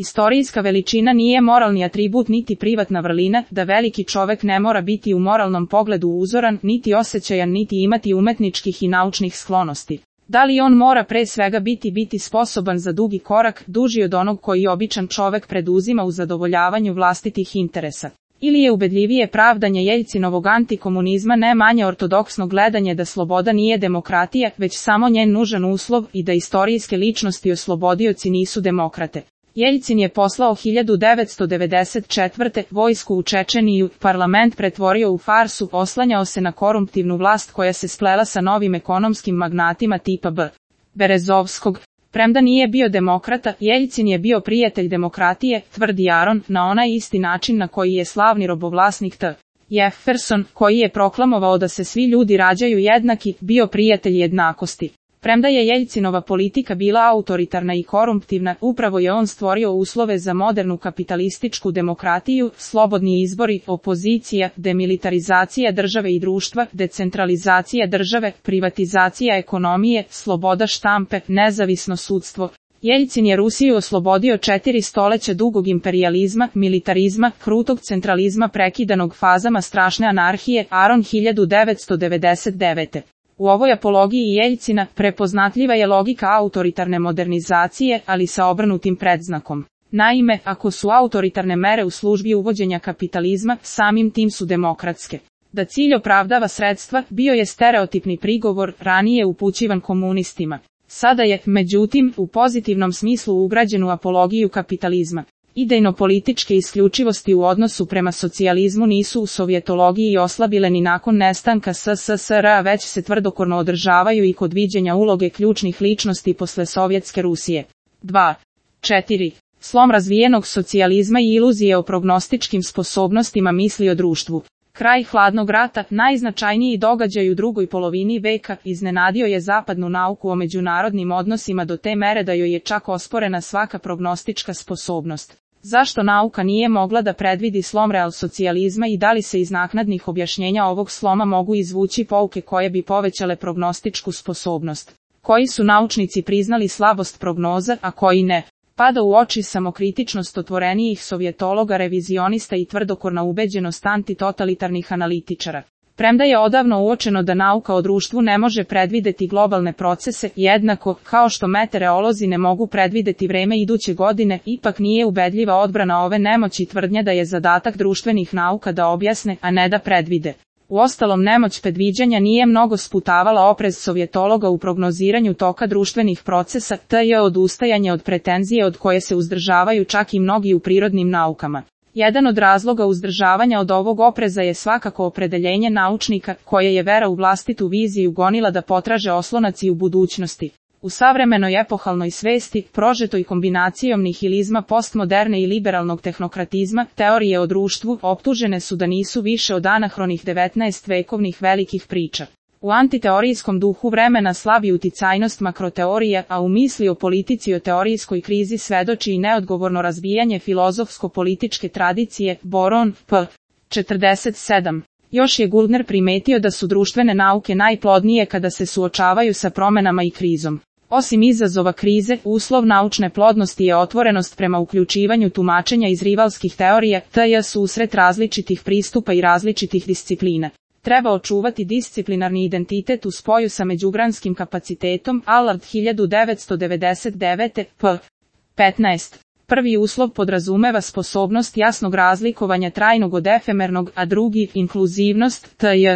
Istorijska veličina nije moralni atribut niti privatna vrlina, da veliki čovek ne mora biti u moralnom pogledu uzoran, niti osjećajan, niti imati umetničkih i naučnih sklonosti. Da li on mora pre svega biti sposoban za dugi korak, duži od onog koji običan čovek preduzima u zadovoljavanju vlastitih interesa? Ili je ubedljivije pravdanje Jeljcinovog antikomunizma ne manje ortodoksno gledanje da sloboda nije demokratija, već samo njen nužan uslov i da istorijske ličnosti oslobodioci nisu demokrate? Jeljcin je poslao 1994. vojsku u Čečeniju, parlament pretvorio u farsu, oslanjao se na korumptivnu vlast koja se splela sa novim ekonomskim magnatima tipa Berezovskog. Premda nije bio demokrata, Jeljcin je bio prijatelj demokratije, tvrdi Aron, na onaj isti način na koji je slavni robovlasnik T. Jefferson, koji je proklamovao da se svi ljudi rađaju jednaki, bio prijatelj jednakosti. Premda je Jeljcinova politika bila autoritarna i korumptivna, upravo je on stvorio uslove za modernu kapitalističku demokratiju, slobodni izbori, opozicija, demilitarizacija države i društva, decentralizacija države, privatizacija ekonomije, sloboda štampe, nezavisno sudstvo. Jeljcin je Rusiju oslobodio 4 stoleća dugog imperijalizma, militarizma, krutog centralizma prekidanog fazama strašne anarhije, Aron 1999. U ovoj apologiji Jeljcina prepoznatljiva je logika autoritarne modernizacije, ali sa obrnutim predznakom. Naime, ako su autoritarne mere u službi uvođenja kapitalizma, samim tim su demokratske. Da cilj opravdava sredstva, bio je stereotipni prigovor, ranije upućivan komunistima. Sada je, međutim, u pozitivnom smislu ugrađen u apologiju kapitalizma. Idejno-političke isključivosti u odnosu prema socijalizmu nisu u sovjetologiji oslabile ni nakon nestanka SSSR, već se tvrdokorno održavaju i kod viđenja uloge ključnih ličnosti posle Sovjetske Rusije. 2. 4. Slom razvijenog socijalizma i iluzije o prognostičkim sposobnostima misli o društvu. Kraj hladnog rata, najznačajniji događaj u drugoj polovini veka, iznenadio je zapadnu nauku o međunarodnim odnosima do te mere da joj je čak osporena svaka prognostička sposobnost. Zašto nauka nije mogla da predvidi slom realsocijalizma i da li se iz naknadnih objašnjenja ovog sloma mogu izvući pouke koje bi povećale prognostičku sposobnost? Koji su naučnici priznali slabost prognoza, a koji ne? Pada u oči samokritičnost otvorenijih sovjetologa, revizionista i tvrdokorna ubeđenost antitotalitarnih analitičara. Premda je odavno uočeno da nauka o društvu ne može predvideti globalne procese, jednako kao što meteorolozi ne mogu predvideti vreme iduće godine, ipak nije ubedljiva odbrana ove nemoći tvrdnja da je zadatak društvenih nauka da objasne, a ne da predvide. Uostalom, nemoć predviđanja nije mnogo sputavala oprez sovjetologa u prognoziranju toka društvenih procesa, tj. odustajanje od pretenzije od koje se uzdržavaju čak i mnogi u prirodnim naukama. Jedan od razloga uzdržavanja od ovog opreza je svakako opredeljenje naučnika, koje je vera u vlastitu viziju gonila da potraže oslonac i u budućnosti. U savremenoj epohalnoj svesti, prožetoj kombinacijom nihilizma postmoderne i liberalnog tehnokratizma, teorije o društvu optužene su da nisu više od anahronih 19-vekovnih velikih priča. U antiteorijskom duhu vremena slabi uticajnost makroteorija, a u misli o politici o teorijskoj krizi svedoči i neodgovorno razbijanje filozofsko-političke tradicije, Boron, p. 47. Još je Guldner primetio da su društvene nauke najplodnije kada se suočavaju sa promenama i krizom. Osim izazova krize, uslov naučne plodnosti je otvorenost prema uključivanju tumačenja iz rivalskih teorija, tj. susret različitih pristupa i različitih disciplina. Treba očuvati disciplinarni identitet u spoju sa međugranskim kapacitetom, Allard 1999. p. 15. Prvi uslov podrazumeva sposobnost jasnog razlikovanja trajnog od efemernog, a drugi, inkluzivnost, tj.